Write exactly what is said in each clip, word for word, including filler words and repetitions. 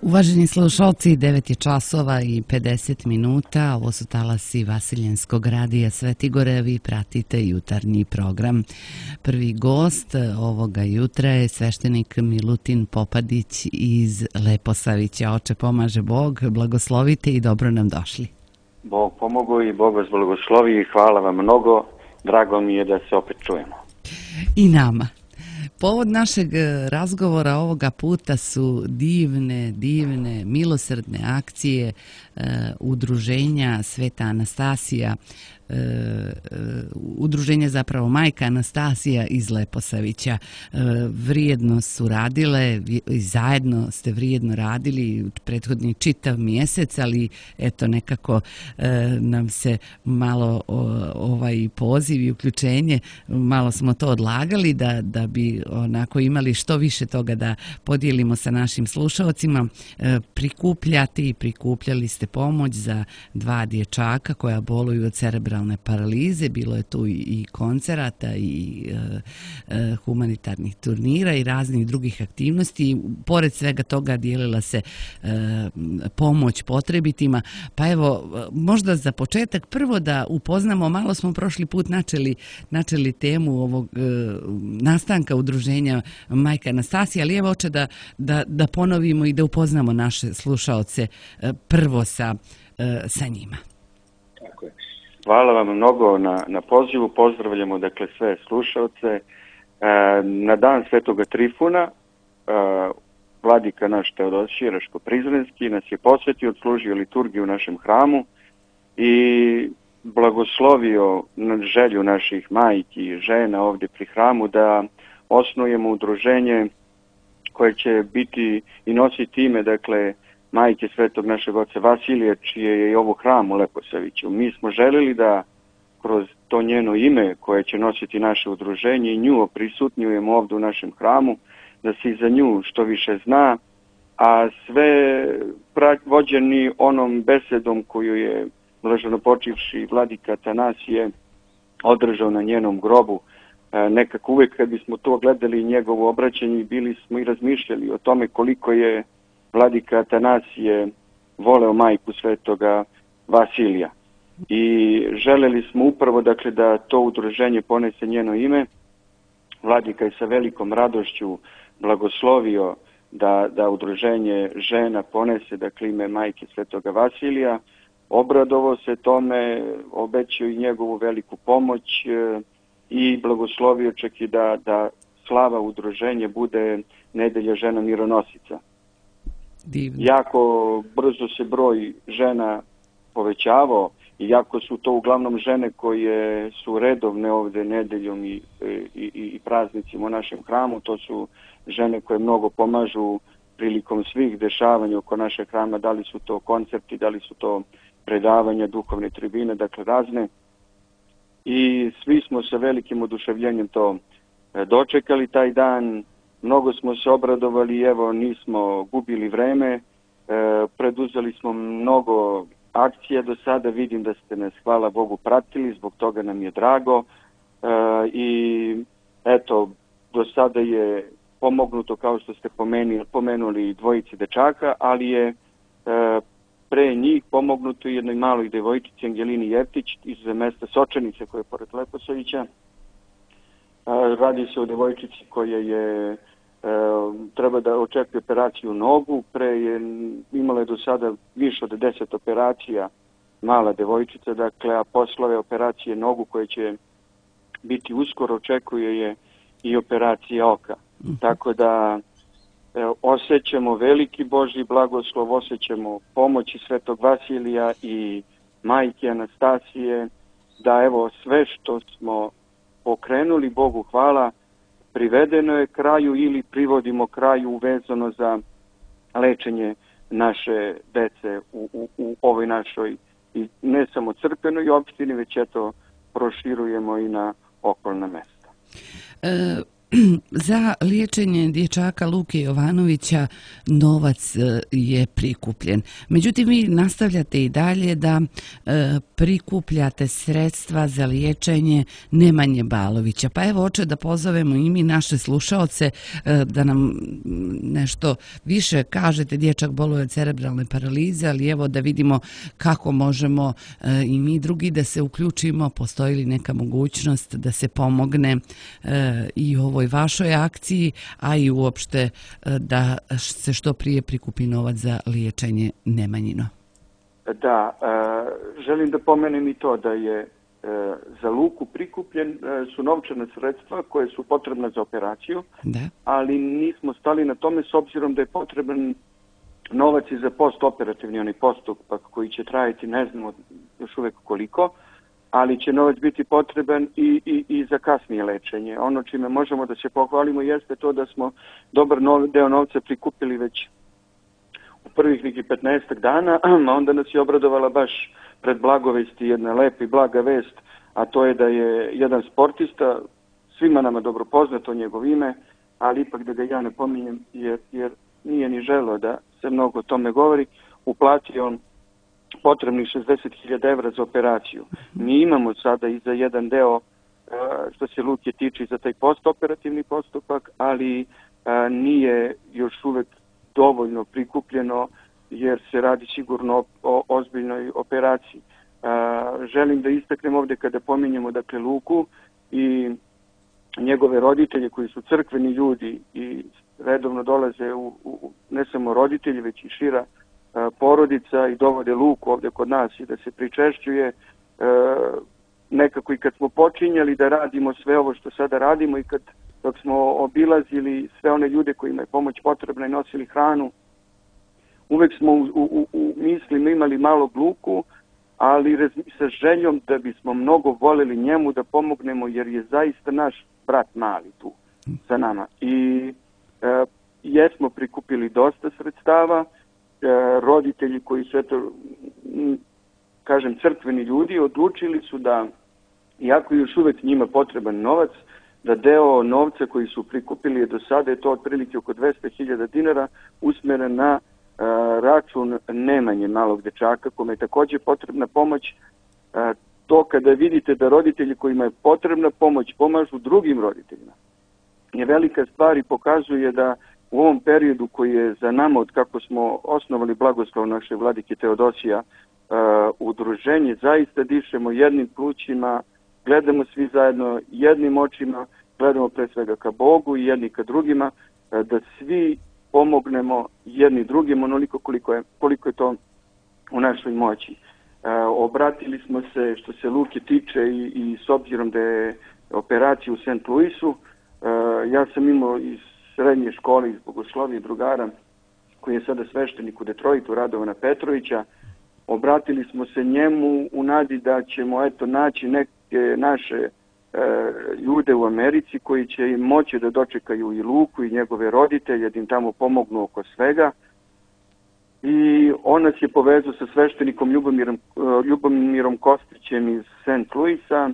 Uvaženi slušalci, devet je časova i pedeset minuta, ovo su talasi Vasiljenskog radija Svetigore, vi pratite jutarnji program. Prvi gost ovoga jutra je sveštenik Milutin Popadić iz Leposavića. Oče, pomaže Bog, blagoslovite i dobro nam došli. Bog pomogu i Bog vas blagoslovi i hvala vam mnogo, drago mi je da se opet čujemo. I nama. Povod našeg razgovora ovoga puta su divne, divne, milosrdne akcije e, udruženja Sveta Anastasija, e, e, udruženja zapravo Majka Anastasija iz Leposavića. E, vrijedno su radile i zajedno ste vrijedno radili prethodni čitav mjesec, ali eto nekako e, nam se malo o, ovaj poziv i uključenje, malo smo to odlagali da, da bi onako imali što više toga da podijelimo sa našim slušalcima. E, prikupljati i prikupljali ste pomoć za dva dječaka koja boluju od cerebralne paralize. Bilo je tu i koncerata i e, e, humanitarnih turnira i raznih drugih aktivnosti. Pored svega toga dijelila se e, pomoć potrebitima. Pa evo, možda za početak prvo da upoznamo, malo smo prošli put načeli, načeli temu ovog e, nastanka udruženja Majka Anastasija, ali evo oče da, da, da ponovimo i da upoznamo naše slušaoce prvo sa, sa njima. Tako je. Hvala vam mnogo na, na pozivu, pozdravljamo dakle sve slušaoce. Na dan Svetoga Trifuna vladika naš Teodosije Raško-Prizrenski nas je posvetio, odslužio liturgiju u našem hramu i blagoslovio na želju naših majki i žena ovdje pri hramu da osnujemo udruženje koje će biti i nositi ime, dakle, majke svetog našeg oca Vasilija, čije je i ovo hram u Leposaviću. Mi smo želeli da kroz to njeno ime koje će nositi naše udruženje i nju oprisutnjujemo ovdje u našem hramu, da se i za nju što više zna, a sve vođeni onom besedom koju je blaženopočivši vladika Atanasije održao na njenom grobu. Nekako uvijek kad bismo to gledali njegovo obraćanje, bili smo i razmišljali o tome koliko je vladika Atanasije voleo majku svetoga Vasilija. I želeli smo upravo dakle da to udruženje ponese njeno ime. Vladika je sa velikom radošću blagoslovio da, da udruženje žena ponese dakle ime majke svetoga Vasilija. Obradovao se tome, obećao i njegovu veliku pomoć i blagoslovio čak i da, da slava udruženje bude nedelja žena mironosica. Divno. Jako brzo se broj žena povećavao i jako su to uglavnom žene koje su redovne ovdje nedeljom i, i, i praznicima u našem hramu. To su žene koje mnogo pomažu prilikom svih dešavanja oko našeg hrama, da li su to koncerti, da li su to predavanja, duhovne tribine, dakle razne. I svi smo sa velikim oduševljenjem to dočekali taj dan. Mnogo smo se obradovali, evo nismo gubili vreme, e, preduzeli smo mnogo akcija do sada, vidim da ste nas, hvala Bogu, pratili, zbog toga nam je drago. E, I eto, do sada je pomognuto, kao što ste pomenuli, pomenuli dvojici dečaka, ali je e, pre njih pomognuto jednoj maloj devojčici Angelini Jeftić iz mesta Sočanice koje je pored Leposavića. Radi se o devojčici koja je e, treba da očekuje operaciju nogu. Pre je imala je do sada više od deset operacija mala devojčica, dakle, a posle ove operacije nogu koje će biti uskoro očekuje je i operacija oka. Mm-hmm. Tako da e, osjećamo veliki Božji blagoslov, osjećamo pomoći svetog Vasilija i majke Anastasije, da evo sve što smo pokrenuli, Bogu hvala, privedeno je kraju ili privodimo kraju vezano za lečenje naše dece u, u, u ovoj našoj, i ne samo crkvenoj opštini, već eto proširujemo i na okolna mesta. E, Za liječenje dječaka Luke Jovanovića novac je prikupljen. Međutim, vi nastavljate i dalje da e, prikupljate sredstva za liječenje Nemanje Balovića. Pa evo, hoće da pozovemo i mi naše slušaoce e, da nam nešto više kažete. Dječak boluje od cerebralne paralize, ali evo da vidimo kako možemo e, i mi drugi da se uključimo. Postoji li neka mogućnost da se pomogne e, i ovoj vašoj akciji, a i uopšte da se što prije prikupi novac za liječenje Nemanjino? Da, želim da pomenem i to da je za Luku prikupljen su novčane sredstva koje su potrebne za operaciju, da. Ali nismo stali na tome s obzirom da je potreban novac i za postoperativni onaj postupak koji će trajati ne znamo još uvek koliko, ali će novac biti potreban i, i, i za kasnije lečenje. Ono čime možemo da se pohvalimo jeste to da smo dobar nov, deo novca prikupili već u prvih nekih petnaestak dana, a onda nas je obradovala baš pred blagovesti jedna lepa i blaga vest, a to je da je jedan sportista, svima nama dobro poznato njegov ime, ali ipak da ga ja ne pominjem jer, jer nije ni želeo da se mnogo o tome govori, uplatio on potrebnih šezdeset hiljada evra za operaciju. Mi imamo sada i za jedan deo što se Luke tiče za taj postoperativni postupak, ali nije još uvek dovoljno prikupljeno jer se radi sigurno o ozbiljnoj operaciji. Želim da istaknem ovde kada pominjemo dakle Luku i njegove roditelje koji su crkveni ljudi i redovno dolaze u, u ne samo roditelji već i šira porodica i dovode Luku ovdje kod nas i da se pričešćuje. E, nekako i kad smo počinjali da radimo sve ovo što sada radimo i kad dok smo obilazili sve one ljude kojima je pomoć potrebna i nosili hranu, uvek smo u, u, u mislima imali malo Luku, ali sa željom da bismo mnogo voleli njemu da pomognemo jer je zaista naš brat mali tu sa nama. I e, jesmo prikupili dosta sredstava. Roditelji koji su, eto, kažem, crkveni ljudi, odlučili su da, iako još uvek njima potreban novac, da deo novca koji su prikupili do sada, je to otprilike oko dvesta hiljada dinara, usmeren na a, račun Nemanje malog dečaka, kome je također potrebna pomoć. A, to kada vidite da roditelji kojima je potrebna pomoć pomažu drugim roditeljima je velika stvar i pokazuje da u ovom periodu koji je za nama od kako smo osnovali blagoslov naše vladike Teodosija uh, udruženje, zaista dišemo jednim plućima, gledamo svi zajedno jednim očima, gledamo pre svega ka Bogu i jedni ka drugima, uh, da svi pomognemo jedni drugim onoliko koliko je, koliko je to u našoj moći. Uh, obratili smo se što se Luke tiče i, i s obzirom da je operacija u Saint Louisu, uh, ja sam imao iz srednje škole iz bogoslovije drugara koji je sada sveštenik u Detroitu, Radovana Petrovića. Obratili smo se njemu u nadi da ćemo eto naći neke naše e, ljude u Americi koji će im moći da dočekaju i Luku i njegove roditelje, da im tamo pomognu oko svega. I on nas je povezao sa sveštenikom Ljubomirom, Ljubomirom Kostićem iz Saint Louisa,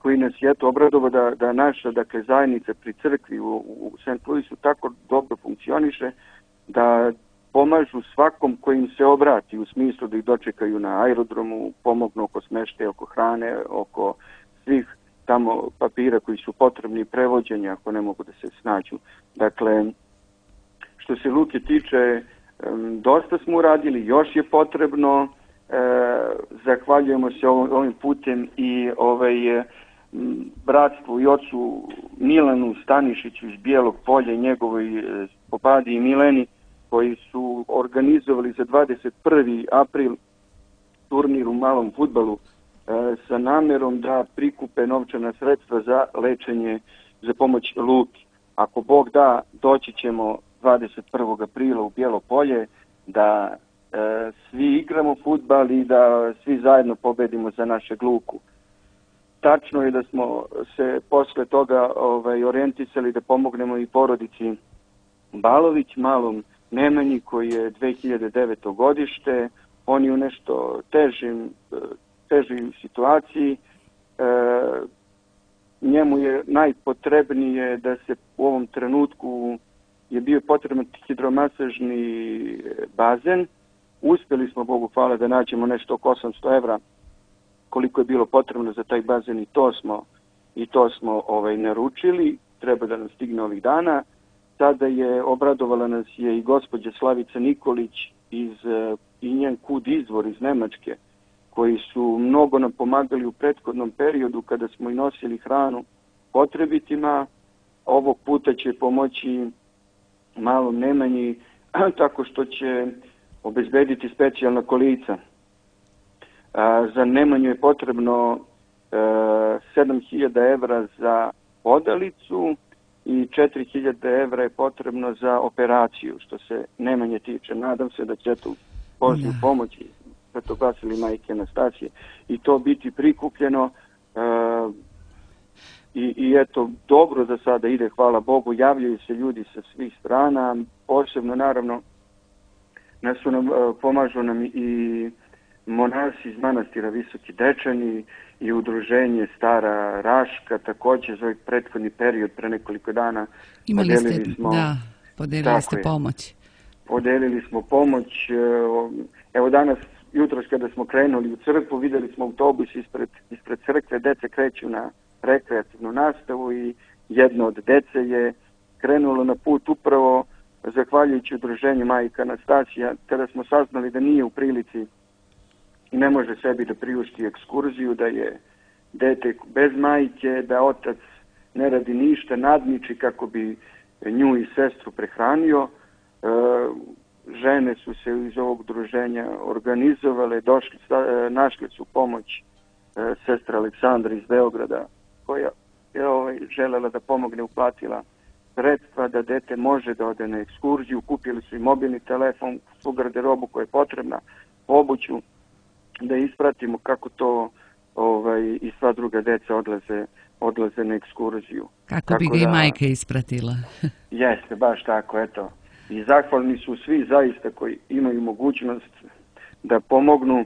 koji nas je eto obradovao da, da naša dakle, zajednica pri crkvi u, u Saint Louisu tako dobro funkcioniše da pomažu svakom kojim se obrati u smislu da ih dočekaju na aerodromu, pomognu oko smeštaja, oko hrane, oko svih tamo papira koji su potrebni, prevođenja ako ne mogu da se snađu. Dakle, što se Luke tiče, dosta smo uradili, još je potrebno, e, zahvaljujemo se ovim putem i ovaj bratstvu i ocu Milanu Stanišiću iz Bijelog Polja i njegovoj popadi i Mileni koji su organizovali za dvadeset prvi april turnir u malom fudbalu e, sa namerom da prikupe novčana sredstva za lečenje, za pomoć Luki. Ako Bog da, doći ćemo dvadeset prvog aprila u Bijelo Polje da e, svi igramo fudbal i da svi zajedno pobedimo za našeg Luku. Tačno je da smo se posle toga ovaj, orijentisali da pomognemo i porodici Balović, malom Nemanji koji je dve hiljade devete. godište. On je u nešto težim, težoj situaciji. E, njemu je najpotrebnije da se u ovom trenutku je bio potreban hidromasažni bazen. Uspjeli smo, Bogu hvala, da nađemo nešto oko osamsto evra koliko je bilo potrebno za taj bazen i to smo, i to smo ovaj, naručili. Treba da nam stigne ovih dana. Sada je obradovala nas je i gospođa Slavica Nikolić iz, i njen kud izvor iz Nemačke, koji su mnogo nam pomagali u prethodnom periodu kada smo i nosili hranu potrebitima. Ovog puta će pomoći malom Nemanji tako što će obezbediti specijalna kolica. A, za Nemanju je potrebno a, sedam hiljada evra za odalicu i četiri hiljade evra je potrebno za operaciju, što se Nemanje tiče. Nadam se da će tu Božju yeah. pomoći Svetoglasili majke Anastasije i to biti prikupljeno uh, i, i eto, dobro za sada ide, hvala Bogu, javljaju se ljudi sa svih strana, posebno naravno nas su nam, uh, pomažu nam i monasi iz manastira Visoki Dečani i udruženje Stara Raška, također za ovaj prethodni period pre nekoliko dana imali podelili ste, smo, da, podelili ste je, pomoć. Podelili smo pomoć, evo danas, jutros kada smo krenuli u crkvu, vidjeli smo autobus ispred, ispred crkve, deca kreću na rekreativnu nastavu i jedno od dece je krenulo na put upravo zahvaljujući udruženju majka Anastasija, kada smo saznali da nije u prilici i ne može sebi da priušti ekskurziju, da je dete bez majke, da otac ne radi ništa, nadniči kako bi nju i sestru prehranio. E, žene su se iz ovog udruženja organizovale, došli, našli su pomoć e, sestra Aleksandra iz Beograda, koja je ovaj, želela da pomogne, uplatila sredstva da dete može da ode na ekskurziju, kupili su i mobilni telefon, svu garderobu koja je potrebna, obuću, da ispratimo kako to ovaj, i sva druga deca odlaze, odlaze na ekskurziju. Kako tako bi ga da, i majka ispratila. Jeste, baš tako, eto. I zahvalni su svi zaista koji imaju mogućnost da pomognu,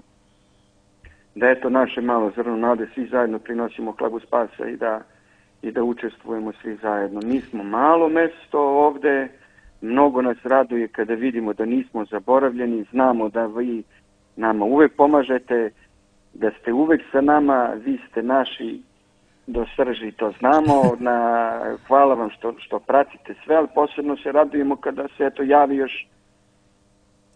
da eto naše malo zrno nade, svi zajedno prinosimo hlabu spasa i da, i da učestvujemo svi zajedno. Mi smo malo mesto ovde, mnogo nas raduje kada vidimo da nismo zaboravljeni, znamo da vi nama uvek pomažete, da ste uvek sa nama, vi ste naši do srži, to znamo. Na, hvala vam što, što pratite sve, ali posebno se radujemo kada se eto javi još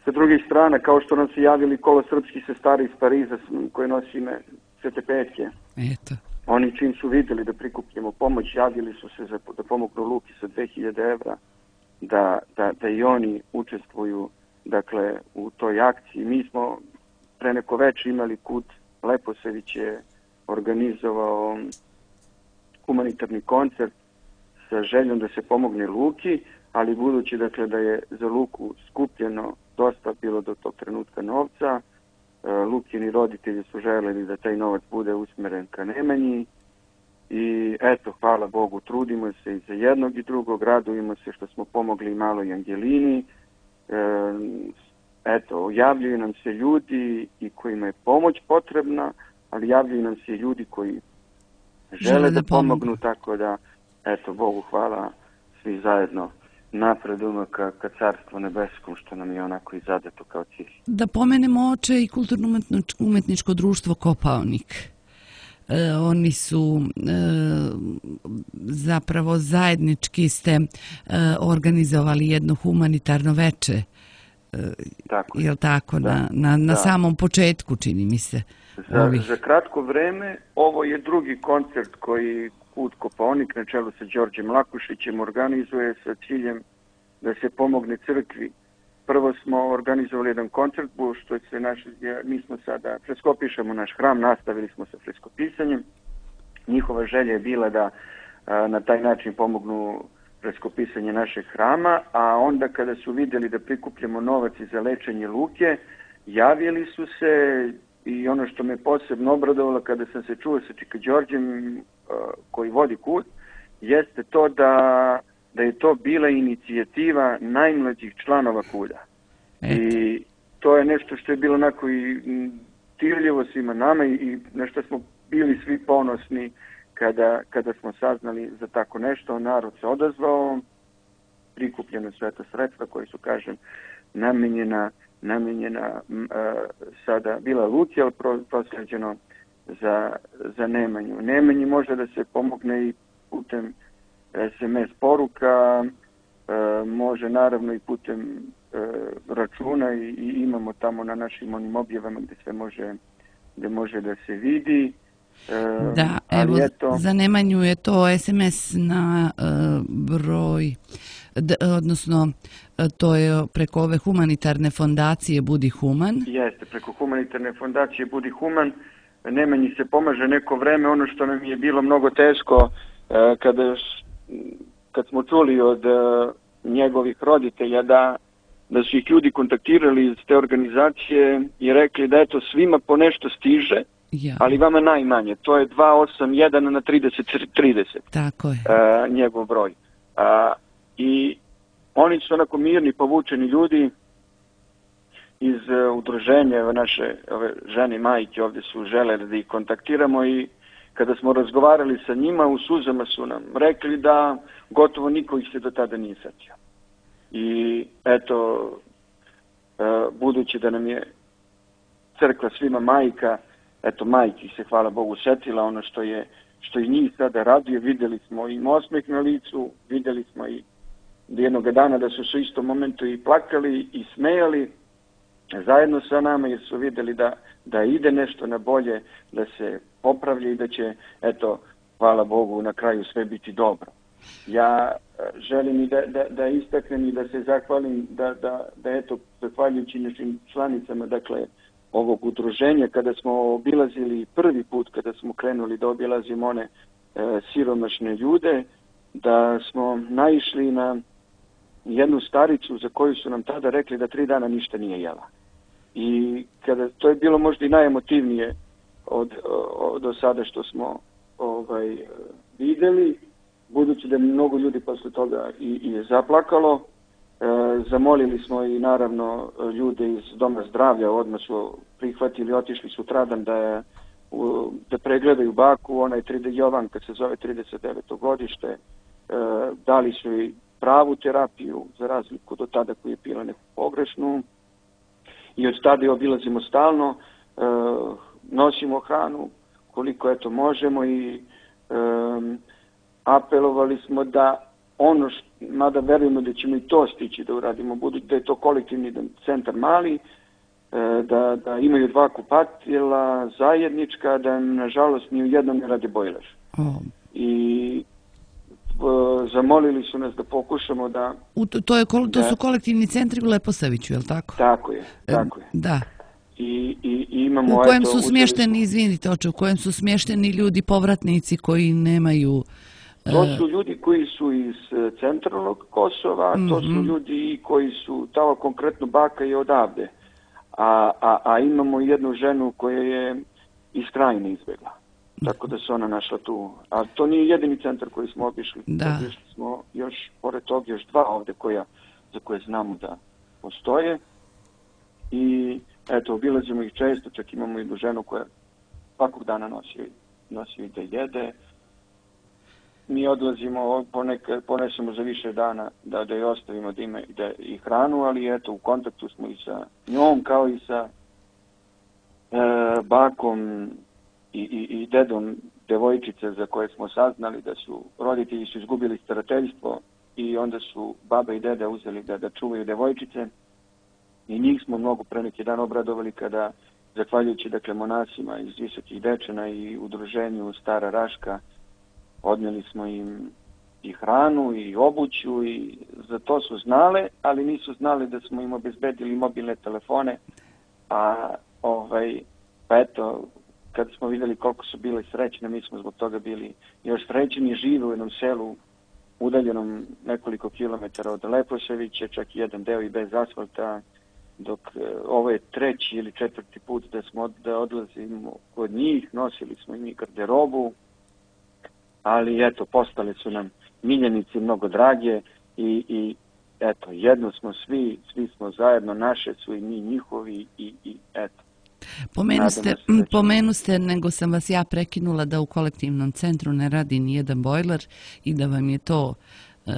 sa drugih strana, kao što nam se javili kolo srpski sestari iz Pariza koje nosi ime Svete Petke. Eto. Oni čim su vidjeli da prikupljamo pomoć, javili su se za, da pomognu Luki sa dve hiljade evra, da, da, da i oni učestvuju dakle u toj akciji. Mi smo pre neko večer imali kud Leposević je organizovao humanitarni koncert sa željom da se pomogne Luki, ali budući dakle da je za Luku skupljeno dosta bilo do tog trenutka novca, Lukini roditelji su želeli da taj novac bude usmeren ka Nemanji i eto, hvala Bogu, trudimo se i za jednog i drugog, radujemo se što smo pomogli maloj Angelini. Eto, javljaju nam se ljudi i kojima je pomoć potrebna, ali javljaju nam se i ljudi koji žele, žele da, da pomognu, tako da, eto, Bogu hvala, svi zajedno napredujemo ka, ka carstvu nebeskom, što nam je onako i zadato kao cilj. Da pomenemo oče i kulturno-umetničko društvo Kopaonik. E, oni su e, zapravo zajednički ste e, organizovali jedno humanitarno veče. Tako je li tako, da, na, na, na samom početku, čini mi se. Za, za kratko vreme, ovo je drugi koncert koji Kud Kopaonik na čelu sa Đorđem Lakušićem organizuje sa ciljem da se pomogne crkvi. Prvo smo organizovali jedan koncert, što se naš, mi smo sada, freskopišemo naš hram, nastavili smo sa freskopisanjem. Njihova želja je bila da a, na taj način pomognu freskopisanje našeg hrama, a onda kada su vidjeli da prikupljamo novac za lečenje Luke, javili su se i ono što me posebno obradovalo kada sam se čuo sa Čika Đorđem koji vodi kud, jeste to da, da je to bila inicijativa najmlađih članova kuda. I to je nešto što je bilo onako i dirljivo svima nama i na što smo bili svi ponosni kada, kada smo saznali za tako nešto, narod se odazvao, prikupljeno sve to sredstva koji su, kažem, namenjena, namenjena uh, sada bila Luci, ali pro, prosleđeno za, za Nemanju. Nemanji može da se pomogne i putem es em es poruka, uh, može naravno i putem uh, računa i, i imamo tamo na našim onim objavama gdje sve može, gdje može da se vidi. Uh, da, evo, eto, za Nemanju je to es em es na uh, broj, d, odnosno to je preko ove humanitarne fondacije Budi Human. Jeste, preko humanitarne fondacije Budi Human. Nemanji se pomaže neko vreme. Ono što nam je bilo mnogo teško uh, kada, kad smo čuli od uh, njegovih roditelja da, da su ih ljudi kontaktirali iz te organizacije i rekli da eto svima po nešto stiže, ja. ali vama najmanje. To je dva osam jedan na trideset trideset. Tako je. Uh, njegov broj. Uh, I oni su onako mirni, povučeni ljudi iz uh, udruženja, naše ove žene i majke ovdje su želeli da ih kontaktiramo i kada smo razgovarali sa njima, u suzama su nam rekli da gotovo niko ih se do tada nije setio. I eto, uh, budući da nam je crkva svima majka, eto majki se, hvala Bogu, setila ono što je, što i njih sada raduje, vidjeli smo im osmeh na licu, vidjeli smo i jednog dana da su se u istom momentu i plakali i smejali zajedno sa nama jer su vidjeli da, da ide nešto na bolje, da se popravlja i da će, eto, hvala Bogu, na kraju sve biti dobro. Ja želim i da, da, da istaknem i da se zahvalim da, da, da eto, zahvaljujući našim članicama, dakle, ovog udruženja, kada smo obilazili prvi put, kada smo krenuli da obilazimo one e, siromašne ljude, da smo naišli na jednu staricu za koju su nam tada rekli da tri dana ništa nije jela. I kada to je bilo možda i najemotivnije od, od, od sada što smo ovaj, vidjeli, budući da mnogo ljudi posle toga i, i je zaplakalo, e, zamolili smo i naravno ljude iz Doma zdravlja, odmah su prihvatili, otišli sutradan da, u, da pregledaju baku, ona je Jovanka se zove trideset deveto godište, e, dali su i pravu terapiju za razliku do tada koji je pila neku pogrešnu i od tada je obilazimo stalno, e, nosimo hranu koliko eto možemo i e, apelovali smo da ono, što, mada verujemo da ćemo i to stići da uradimo, budući da je to kolektivni centar mali, da, da imaju dva kupatila zajednička, da nažalost ni u jednom ne rade bojler. Oh. I o, zamolili su nas da pokušamo da... U to, to, je, to da, su kolektivni centri u Leposaviću, je li tako? Tako je, tako je. Da. I, i, i imamo, u kojem eto, su smješteni, izvinite oče, u kojem su smješteni ljudi, povratnici koji nemaju... To su ljudi koji su iz centralnog Kosova, mm-hmm. to su ljudi koji su, tamo konkretno baka je odavde. A, a, a imamo jednu ženu koja je iz Krajine izbjegla. Tako da se ona našla tu. A to nije jedini centar koji smo obišli. Da. Obišli smo još, pored toga, još dva ovde koja, za koje znamo da postoje. I eto, obilazimo ih često, čak imamo jednu ženu koja svakog dana nosi, nosi da jede. Mi odlazimo, ponekad ponesemo za više dana da, da je ostavimo da ima da, i hranu, ali eto, u kontaktu smo i sa njom, kao i sa e, bakom i, i, i dedom devojčice za koje smo saznali da su roditelji su izgubili starateljstvo i onda su baba i deda uzeli da, da čuvaju devojčice i njih smo mnogo pre neki dan obradovali kada, zahvaljujući dakle monasima iz Visokih Dečana i udruženju Stara Raška, odnijeli smo im i hranu i obuću i za to su znale, ali nisu znali da smo im obezbedili mobilne telefone. A ovaj, pa eto, kad smo vidjeli koliko su bile srećne, mi smo zbog toga bili još srećeni, žive u jednom selu udaljenom nekoliko kilometara od Leposavića, čak jedan deo i bez asfalta, dok ovo je treći ili četvrti put da smo da odlazimo kod njih, nosili smo im i garderobu, ali eto, postale su nam miljenici mnogo drage i, i eto, jedno smo svi, svi smo zajedno, naše su i mi njihovi i, i eto, Pomenuste, pomenuste, nego sam vas ja prekinula da u kolektivnom centru ne radi ni jedan bojler i da vam je to uh,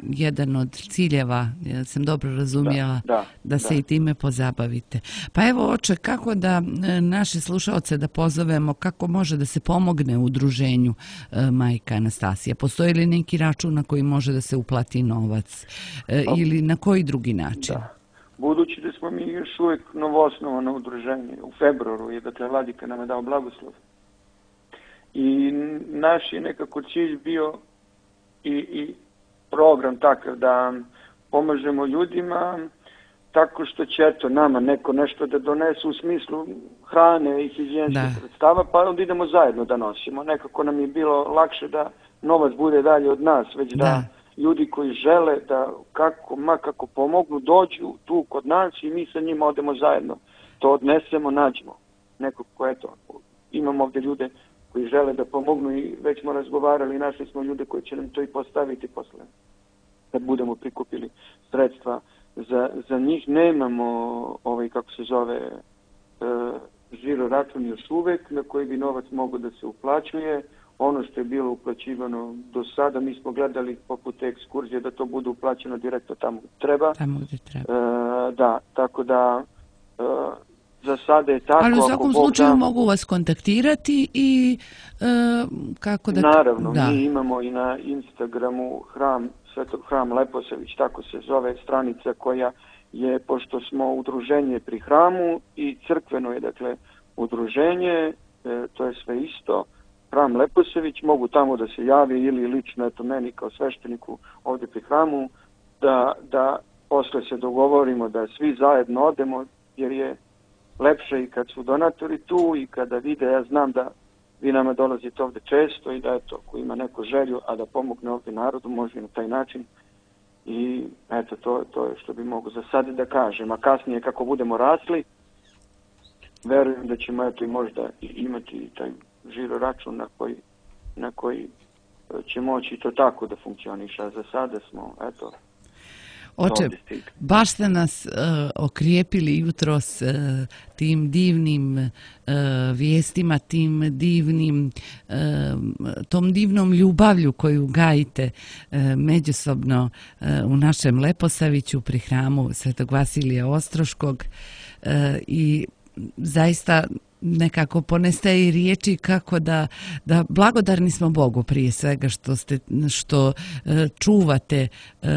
jedan od ciljeva, ja sam dobro razumjela, da, da, da se da. i time pozabavite. Pa evo, oče, kako da naše slušaoce da pozovemo, kako može da se pomogne u udruženju uh, Majka Anastasija? Postoji li neki račun na koji može da se uplati novac uh, ili na koji drugi način? Da. Budući da smo mi još uvijek novoosnovano udruženje, u februaru je, dakle, Vladika nam je dao blagoslov. I naš je nekako cilj bio i, i program takav da pomažemo ljudima tako što će eto nama neko nešto da donesu u smislu hrane i higijenskih sredstava, pa onda idemo zajedno da nosimo. Nekako nam je bilo lakše da novac bude dalje od nas, već da, da ljudi koji žele da kako, ma kako pomognu, dođu tu kod nas i mi sa njima odemo zajedno. To odnesemo, nađemo. Neko ko, eto, imamo ovdje ljude koji žele da pomognu i već smo razgovarali i našli smo ljude koji će nam to i postaviti posle. Kad budemo prikupili sredstva za, za njih, nemamo ovaj, kako se zove, e, žiro račun još uvek na koji bi novac mogao da se uplaćuje. Ono što je bilo uplaćivano do sada, mi smo gledali poput te ekskurzije da to bude uplaćeno direktno tamo gdje treba. Tamo gdje treba. E, da, tako da e, za sada je tako. Ali u svakom slučaju da, mogu vas kontaktirati i e, kako da... Naravno, da. Mi imamo i na Instagramu hram, Svetog hram Leposavić, tako se zove stranica koja je, pošto smo udruženje pri hramu i crkveno je, dakle, udruženje, e, to je sve isto, hram Leposavić, mogu tamo da se javi ili lično, eto meni kao svešteniku ovdje pri hramu, da, da posle se dogovorimo da svi zajedno odemo, jer je lepše i kad su donatori tu i kada vide, ja znam da vi nama dolazite ovdje često i da eto, ako ima neko želju, a da pomogne ovdje narodu, može na taj način. I eto, to, to je što bi mogu za sad da kažem. A kasnije kako budemo rasli, verujem da ćemo eto i možda imati taj žiro račun na koji, na koji će moći to tako da funkcioniše. A za sada smo, eto, Oče, baš ste nas uh, okrijepili jutros uh, tim divnim uh, vijestima, tim divnim, uh, tom divnom ljubavlju koju gajite uh, međusobno uh, u našem Leposaviću pri hramu Svetog Vasilija Ostroškog uh, i zaista nekako ponestaje i riječi kako da, da blagodarni smo Bogu prije svega što, ste, što uh, čuvate uh,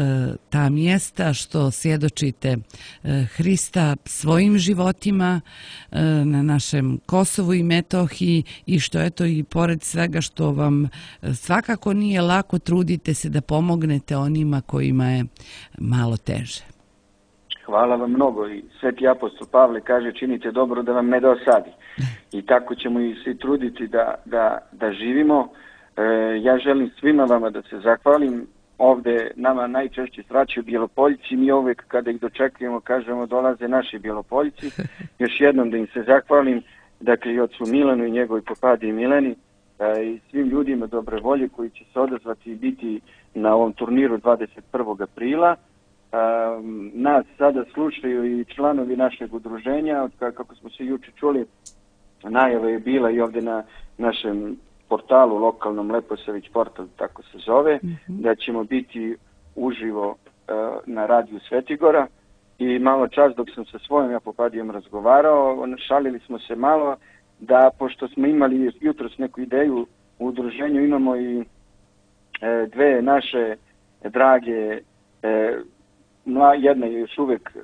ta mjesta, što svjedočite uh, Hrista svojim životima uh, na našem Kosovu i Metohiji i što eto i pored svega što vam uh, svakako nije lako, trudite se da pomognete onima kojima je malo teže. Hvala vam mnogo i Sveti apostol Pavle kaže činite dobro da vam ne dosadi. I tako ćemo i svi truditi da, da, da živimo. E, ja želim svima vama da se zahvalim. Ovdje nama najčešće sraćaju Bjelopoljci. Mi uvijek kada ih dočekujemo kažemo dolaze naši Bjelopoljci. Još jednom da im se zahvalim. Dakle i ocu Milanu i njegovoj popadi i Mileni e, i svim ljudima dobre volje koji će se odazvati i biti na ovom turniru dvadeset prvog aprila. Um, nas sada slušaju i članovi našeg udruženja, od kako smo se juče čuli, najava je bila i ovdje na našem portalu lokalnom Leposavić portal, tako se zove, mm-hmm. da ćemo biti uživo uh, na radiju Svetigora i malo čas dok sam sa svojom Japopadijom razgovarao, šalili smo se malo da pošto smo imali jutros neku ideju u udruženju, imamo i e, dve naše drage e, jedna je još uvijek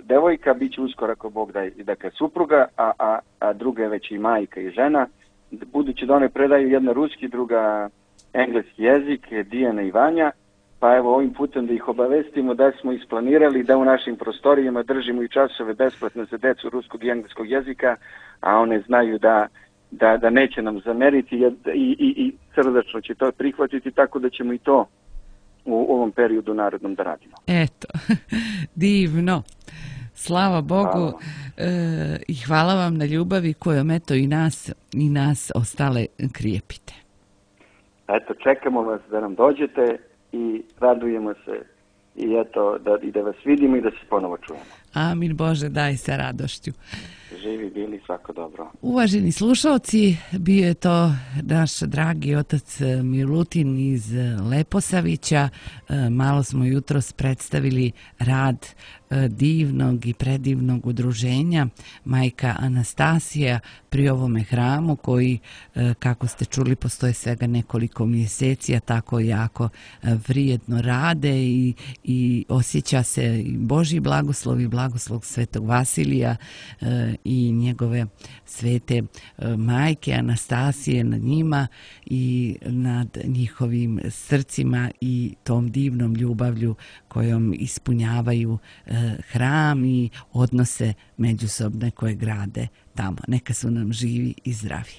devojka, bit će uskoro ako Bog da je dakle, supruga, a, a, a druga je već i majka i žena. Budući da one predaju jedna ruski, druga engleski jezik, Dijana i Vanja, pa evo ovim putem da ih obavestimo da smo isplanirali da u našim prostorijama držimo i časove besplatno za decu ruskog i engleskog jezika, a one znaju da, da, da neće nam zameriti i, i, i srdačno će to prihvatiti, tako da ćemo i to u ovom periodu narodnom da radimo. Eto, divno. Slava Bogu hvala. E, i hvala vam na ljubavi kojom eto i nas, i nas ostale krijepite. Eto, čekamo vas da nam dođete i radujemo se i eto, da, i da vas vidimo i da se ponovo čujemo. Amin Bože, daj sa radošću. Živi bili, svako dobro. Uvaženi slušalci, bio je to naš dragi otac Milutin iz Leposavića. Malo smo jutros predstavili rad divnog i predivnog udruženja Majka Anastasija pri ovome hramu koji, kako ste čuli, postoje svega nekoliko mjeseci, a tako jako vrijedno rade i, i osjeća se i Božji blagoslov i blagoslov Svetog Vasilija i njegove svete majke Anastasije nad njima i nad njihovim srcima i tom divnom ljubavlju kojom ispunjavaju hram i odnose međusobne koje grade tamo. Neka su nam živi i zdravi.